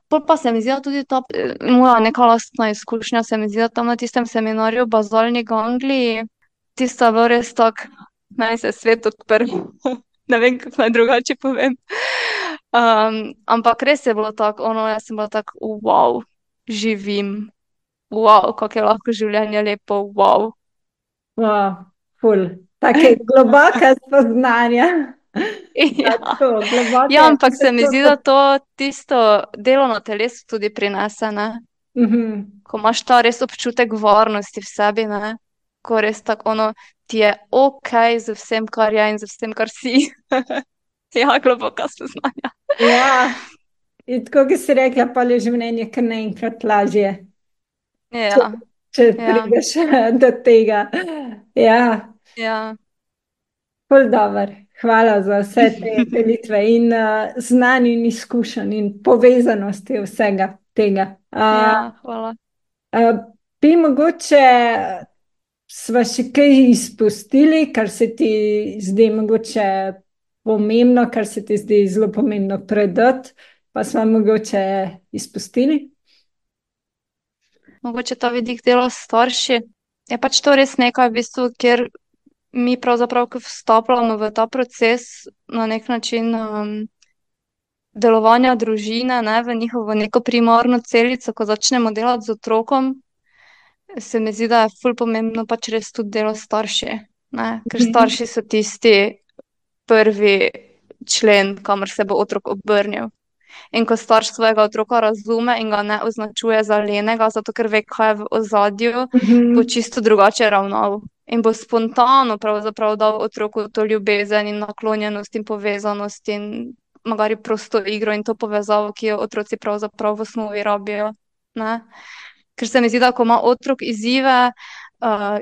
Pol pa se mi zdi, da tudi ta eh, moja neka lastna izkušnja, se mi zdi, da tam na tistem seminarju bazalni gangliji, tisto je bilo res tako, meni se je svet odprl. Ne vem, kako naj drugače povem. Um, ampak res je bilo tako, ono, jaz sem bila tako, wow, živim, wow, kako je lahko življenje lepo, wow. Wow, ful. Take globoka spoznanja. Ja. Tako, globoke, Ja, ampak se ampak mi to zdi, so. da to tisto delo na telesu tudi prinese, ne? Mhm. Ko imaš ta res občutek varnosti v sebi, ne? Ko res tako ono, ti je ok z vsem, kar je in z vsem, kar si. Ja, globoka spoznanja. Ja, in tako, ki si rekla, pa je življenje kar naenkrat lažje, če, Ja, če ja, prideš do tega. Ja, ja. ful dobr. Hvala za vse te delitve in uh, znanje in izkušenj in povezanosti vsega tega. Uh, Ja, hvala. uh, bi mogoče sva še kaj izpustili, kar se ti zdi mogoče pomembno, kar se ti zdi zelo pomembno predati, pa sva mogoče izpustili? Mogoče ta vidik dela s starši. Je pač to res nekaj, v bistvu, kjer mi pravzaprav, ko vstopamo v ta proces na nek način um, delovanja družine, ne, v njihovo neko primarno celico, ko začnemo delati z otrokom, se mi zdi, da je ful pomembno pač res tudi delo s starši, ne, ker Mhm. starši so tisti prvi člen, kamor se bo otrok obrnil. In ko starš svojega otroka razume in ga ne označuje za lenega, zato ker ve, kaj je v ozadju, bo Mhm. čisto drugače ravnal. In bo spontano pravzaprav dal otroku to ljubezen in naklonjenost in povezanost in magari prosto igro in to povezavo, ki jo otroci pravzaprav v osnovi rabijo. Ne? Ker se mi zdi, da ko ima otrok izzive, uh,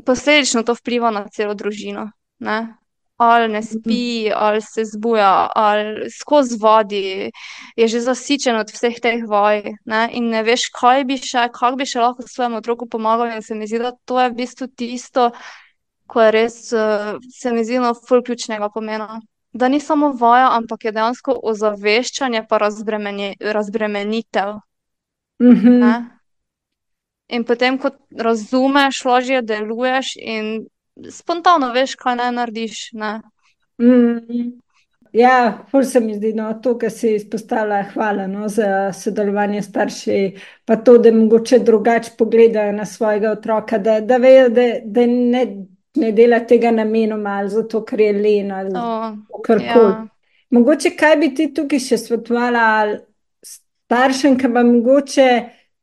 posledično to vpliva na celo družino. Ne? Ali ne spi, ali se zbuja, ali skozi vadi, je že zasičen od vseh teh vaj, ne? In ne veš, kaj bi še, kako bi še lahko svojemu otroku pomagal. In se mi zdi, da to je v bistvu tisto, ko je res, uh, se mi zdi, no, ful ključnega pomena. Da ni samo vaja, ampak je dejansko ozaveščanje pa razbremenje, razbremenitev. Ne? Mhm. In potem, ko razumeš, lažje deluješ in spontano veš, kaj naj narediš. Ne? Mhm. Ja, ful se mi zdi, no, to, kar si izpostavila, hvala, no, za sodelovanje s starši, pa to, da mogoče drugače pogledajo na svojega otroka, da, da vejo, da, da ne, ne dela tega namenoma ali zato, ker je len ali O, karkoli. ja. Mogoče kaj bi ti tukaj še svetovala staršem, ki pa mogoče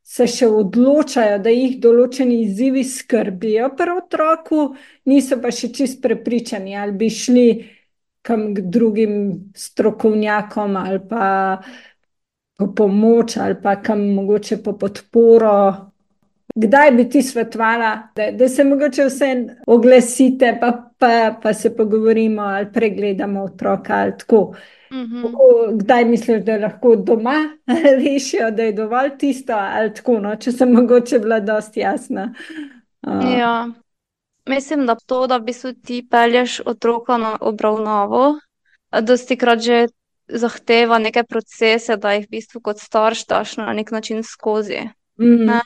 se še odločajo, da jih določeni izzivi skrbijo pri otroku, niso pa še čist prepričani, ali bi šli kam k drugim strokovnjakom ali pa po pomoč ali pa kam mogoče po podporo. Kdaj bi ti svetovala, da, da se mogoče vse oglasite, pa, pa, pa se pogovorimo ali pregledamo otroka ali tako. Mhm. Kako, kdaj misliš, da lahko doma rešijo, da je dovolj tisto ali tako, no, če sem mogoče bila dosti jasna. Uh, Ja. Mislim, da to, da v bistvu ti pelješ otroka na obravnavo, dosti krat že zahteva neke procese, da jih v bistvu kot starš daš na nek način skozi. Mm, Ne?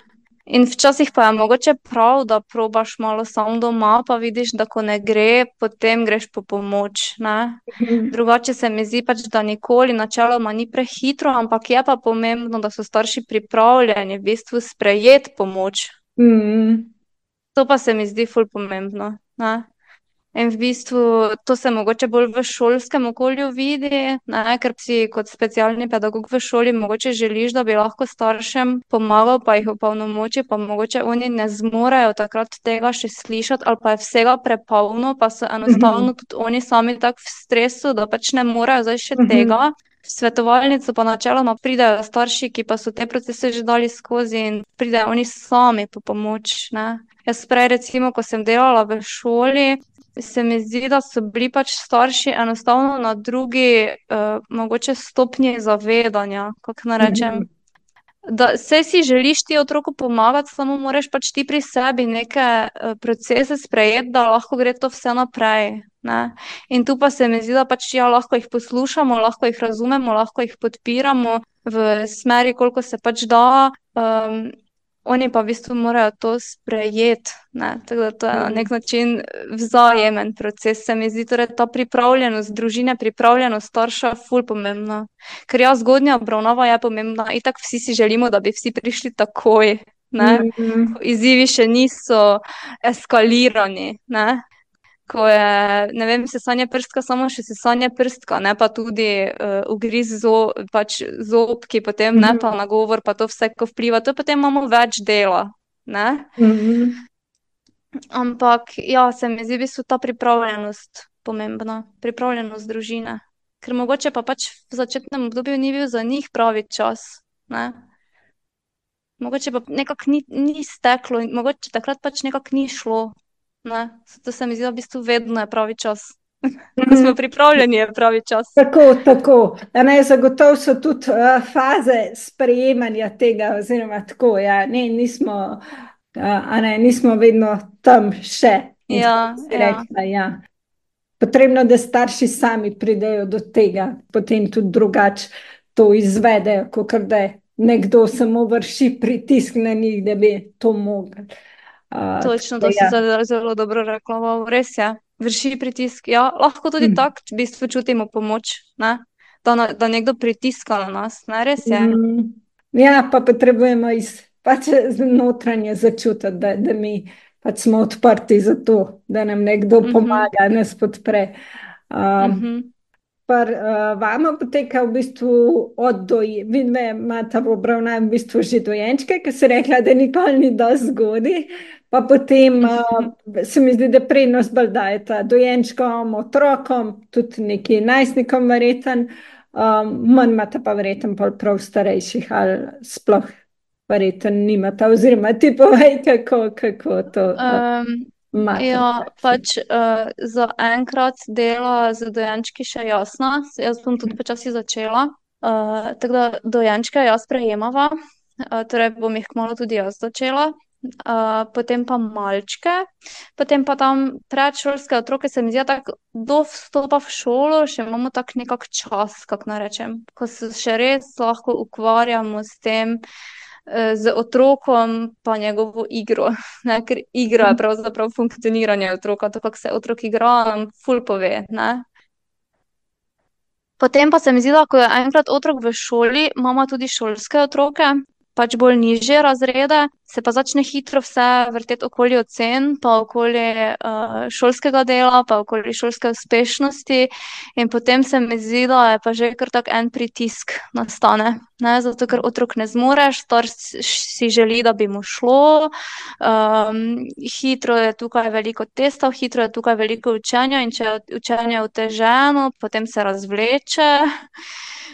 In včasih pa je mogoče prav, da probaš malo sam doma, pa vidiš, da ko ne gre, potem greš po pomoč. Ne? mm, Drugače se mi zdi pač, da nikoli načeloma ni prehitro, ampak je pa pomembno, da so starši pripravljeni v bistvu sprejeti pomoč. mm, To pa se mi zdi ful pomembno. Ne? In v bistvu to se mogoče bolj v šolskem okolju vidi, ne, ker si kot specialni pedagog v šoli mogoče želiš, da bi lahko staršem pomagal, pa jih opolnomoči, pa mogoče oni ne zmorejo takrat tega še slišati, ali pa je vsega prepolno, pa so enostavno mhm, tudi oni sami tako v stresu, da pač ne morejo zdaj še mhm, tega. V svetovalnico pa načeloma pridejo starši, ki pa so te procese že dali skozi in pridejo oni sami po pomoč, ne. Jaz prej recimo, ko sem delala v šoli, se mi zdi, da so bili pač starši enostavno na drugi, uh, mogoče stopnji zavedanja, kako naj rečem. mhm, Da saj si želiš ti otroku pomagati, samo moraš pač ti pri sebi neke uh, procese sprejeti, da lahko gre to vse naprej. Ne? In tu pa se mi zdi, da pač ja, lahko jih poslušamo, lahko jih razumemo, lahko jih podpiramo v smeri, koliko se pač da. Um, Oni pa v bistvu morajo to sprejeti, ne, tako da to je na nek mhm, način vzajemen proces, se mi zdi, torej ta pripravljenost družine, pripravljenost starša, ful pomembna. Ker ja, zgodnja obravnava je pomembna, itak vsi si želimo, da bi vsi prišli takoj, ne, mhm, ko izzivi še niso eskalirani, ne. Ko je, ne vem, sesanje prstka, samo še sesanje prstka, ne pa tudi uh, ugriz zo, pač zobki, potem ne pa mhm, nagovor, pa to vse, ko vpliva, to potem imamo več dela, ne. mhm. Ampak ja, se mi zdi v bistvu ta pripravljenost pomembna, pripravljenost družine. Ker mogoče pa pač v začetnem obdobju ni bil za njih pravi čas, ne. Mogoče pa nekako ni, ni steklo in mogoče takrat pač nekako ni šlo, ne. Zato se mi zdi, da v bistvu vedno je pravi čas. Ko smo Mhm. pripravljeni, je pravi čas. Tako, tako. A ne, zagotovo so tudi uh, faze sprejemanja tega, oziroma tako, ja, ne, nismo, uh, a ne, nismo vedno tam še. In tako Ja, si ja, rekla, ja. Potrebno, da starši sami pridejo do tega, potem tudi drugače to izvedejo, kot da nekdo samo vrši pritisk na njih, da bi to mogli. Uh, točno, tako, to si ja. zelo, zelo dobro rekla, wow, res je. Vrši pritisk, ja, lahko tudi Mm. tako v bistvu čutimo pomoč, ne? Da, na, da nekdo pritiska na nas, ne, res je. Mm, ja, pa potrebujemo iz pač notranje začutiti, da, da mi pač smo odprti za to, da nam nekdo Mhm, pomaga, nas podpre. Um, mhm. Par, uh, vama poteka v bistvu od doji, vidve imata v obravnavi v bistvu že dojenčke, ki se rekla, da nikoli ni dosti zgodi, pa potem uh, se mi zdi, da prednost bolj dajeta dojenčkom, otrokom, tudi neki najstnikom verjeten, um, manj imata pa verjeten pol prav starejših ali sploh verjeten nimata, oziroma ti povej, kako, kako to uh, Um, imata v ja, praksi. pač uh, za enkrat dela z dojenčki še jasno, jaz bom tudi počasi začela. Uh, tako da dojenčke jaz prejemava, uh, torej bom jih kmalu tudi jaz začela. Uh, potem pa malčke, potem pa tam predšolske otroke, se mi zdi, da tako do vstopa v šolo še imamo tak nekak čas, kako naj rečem, ko se še res lahko ukvarjamo s tem, eh, z otrokom pa njegovo igro, ne, ker igra je pravzaprav funkcioniranje otroka, to, kako se otrok igra, nam ful pove, ne. Potem pa se mi zdi, da ko je enkrat otrok v šoli, imamo tudi šolske otroke, pač bolj nižje razrede, se pa začne hitro vse vrteti okoli ocen, pa okoli uh, šolskega dela, pa okoli šolske uspešnosti. In potem se mi zdi, da je pa že kar tak en pritisk nastane. Ne? Zato, ker otrok ne zmoreš, starš si želi, da bi mu šlo, um, hitro je tukaj veliko testov, hitro je tukaj veliko učenja in če je učenje oteženo, potem se razvleče.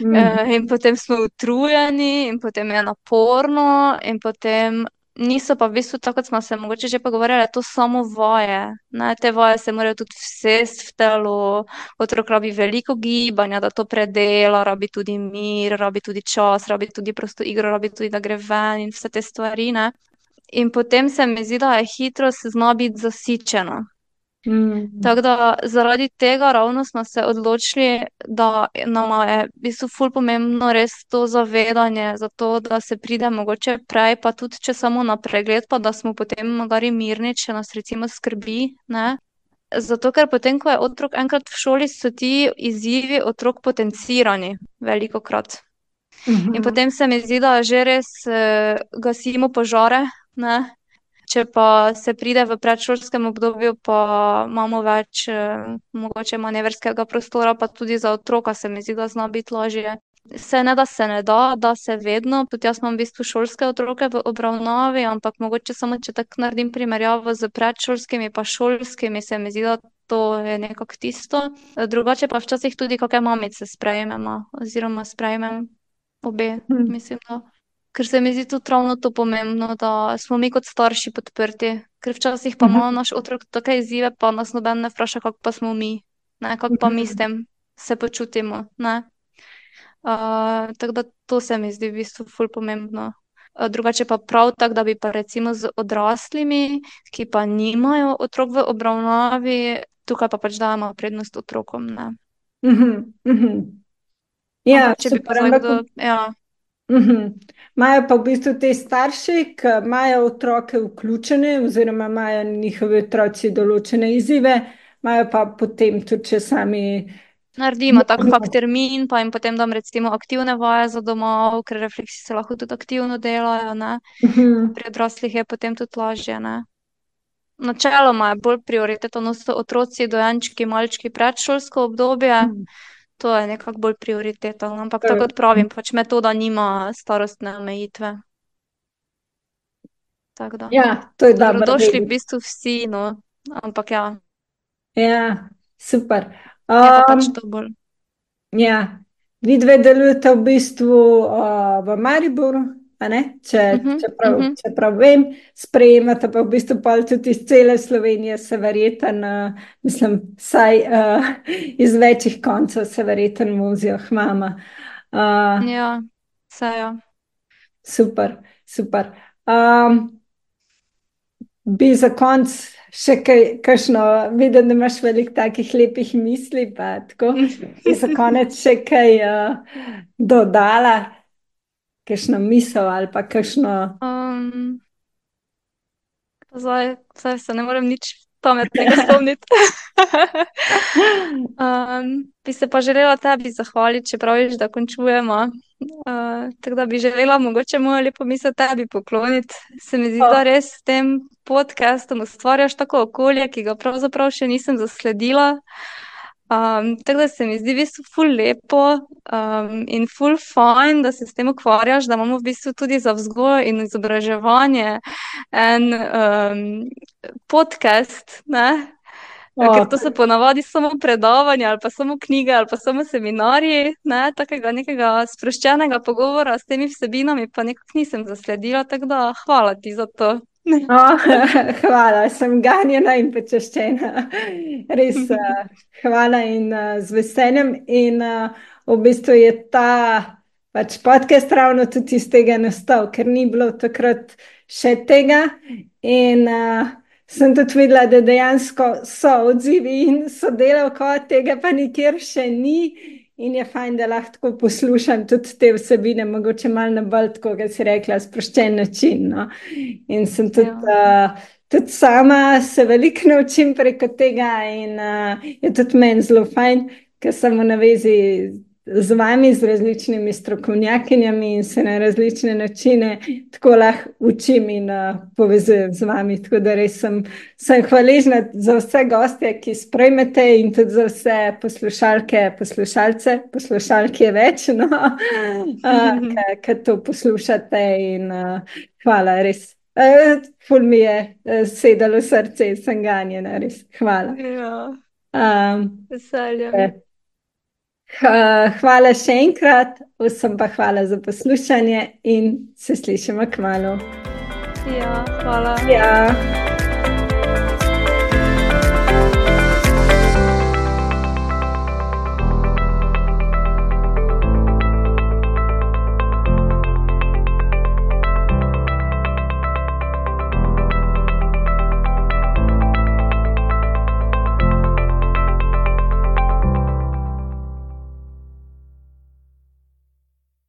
Mm. Eh, in potem smo utrujeni, in potem je naporno, in potem niso pa v bistvu, tako kot smo se mogoče že pogovarjali, to samo vaje. Ne? Te vaje se morajo tudi vsesti v telo, otrok rabi veliko gibanja, da to predela, rabi tudi mir, rabi tudi čas, rabi tudi prosto igro, rabi tudi, da gre ven in vse te stvari. Ne? in potem se mi zdi, da je hitro se zna biti zasičeno. Mm. Tako da zaradi tega ravno smo se odločili, da nama je v bistvu ful pomembno res to zavedanje, zato da se pride mogoče prej, pa tudi če samo na pregled, pa da smo potem magari mirni, če nas recimo skrbi, ne. Zato, ker potem, ko je otrok enkrat v šoli, so ti izzivi otrok potencirani velikokrat. In Mhm. potem se mi zdi, da že res eh, gasimo požare, ne. Če pa se pride v predšolskem obdobju, pa imamo več eh, mogoče manevrskega prostora, pa tudi za otroka se mi zdi, da zna biti lažje. Se ne, da se ne da, da se vedno, tudi jaz imam v bistvu šolske otroke v obravnavi, ampak mogoče samo, če tako naredim primerjavo s predšolskimi pa šolskimi, se mi zdi, da to je nekako tisto. Drugače pa včasih tudi kake mamice sprejmemo, oziroma sprejmem obe, Mhm. mislim, da. Ker se mi zdi tudi ravno to pomembno, da smo mi kot starši podprti. Ker včasih pa ima Mhm. naš otrok take izzive, pa nas noben ne vpraša, kako pa smo mi, ne, kako pa mi s Mhm. tem se počutimo, ne. Uh, tako da to se mi zdi v bistvu ful pomembno. Uh, drugače pa prav tako, da bi pa recimo z odraslimi, ki pa nimajo otrok v obravnavi, tukaj pa pač dajemo prednost otrokom, ne. Mhm. Mhm. Ja, Ampak če bi pa super, zdaj ampak kdo, ja. mhm. Imajo pa v bistvu te starši, ki imajo otroke vključene, oziroma imajo njihovi otroci določene izzive, imajo pa potem tudi, če sami Naredimo tak kak možnost. termin, pa jim potem dam recimo aktivne vaje za domov, ker refleksi se lahko tudi aktivno delajo, ne. Pa Mhm. pri odraslih je potem tudi lažje, ne. Načeloma je bolj prioriteta, no, so otroci, dojenčki, malčki, predšolsko obdobje, Mhm. to je nekako bolj prioriteta, no, ampak To je- tako kot pravim, pač metoda nima starostne omejitve. Tako da. Ja, to je So dobro dobrodošli v vedeti. bistvu vsi, no, ampak ja, Ja, super. je pa pač Um, to bolj. ja, vi dve delujete v bistvu uh, v Mariboru, a ne? Če, Mhm, čeprav, mhm. čeprav vem, sprejemate pa v bistvu pol tudi iz cele Slovenije, se verjeten, uh, mislim, saj uh, iz večjih koncev se verjeten vozijo k mama. Uh, Ja, saj ja. super, super. Um, Bi za konec še kaj, kakšno, vidim, da imaš veliko takih lepih misli, pa tako. Bi za konec še kaj uh, dodala, kakšno misel ali pa kakšno. Um, zdaj, zdaj se ne morem nič pametnega spomniti. Um, bi se pa želela tebi zahvaliti, če praviš, da končujemo. Uh, tako da bi želela mogoče mojo lepo misel tebi pokloniti. Se mi zdi, da Oh, res s tem podcastom ustvarjaš tako okolje, ki ga pravzaprav še nisem zasledila. Um, tako da se mi zdi v bistvu ful lepo um, in ful fajn, da se s tem ukvarjaš, da imamo v bistvu tudi za vzgojo in izobraževanje en um, podcast, ne? Ker to oh, so ponavadi samo predavanja ali pa samo knjige ali pa samo seminarji, ne, takega nekega sproščenega pogovora s temi vsebinami pa nekako nisem zasledila, tako da hvala ti za to. oh, hvala, sem ganjena in počaščena. Res, uh, hvala in uh, z veseljem. In uh, v bistvu je ta pač podcast ravno tudi iz tega nastal, ker ni bilo takrat še tega. In uh, sem tudi videla, da dejansko so odzivi in sodelavko, tega pa nikjer še ni. In je fajn, da lahko tako poslušam tudi te vsebine, mogoče malo na bolj, tako kot si rekla, sproščen način. No? In sem tudi, Ja. uh, tudi sama se veliko naučim preko tega, in uh, je tudi meni zelo fajn, ker sem v navezi z vami, z različnimi strokovnjakinjami in se na različne načine tako lahko učim in uh, povezujem z vami. Tako da res sem, sem hvaležna za vse goste, ki sprejmete, in tudi za vse poslušalke, poslušalce, poslušalke je več, no, uh, ki to poslušate. In uh, hvala, res. Uh, ful mi je uh, sedalo srce in sem ganjena, res. Hvala. Ja, Um, veseljem. Hvala še enkrat, vsem pa hvala za poslušanje in se slišimo kmalu. Ja, hvala. Ja.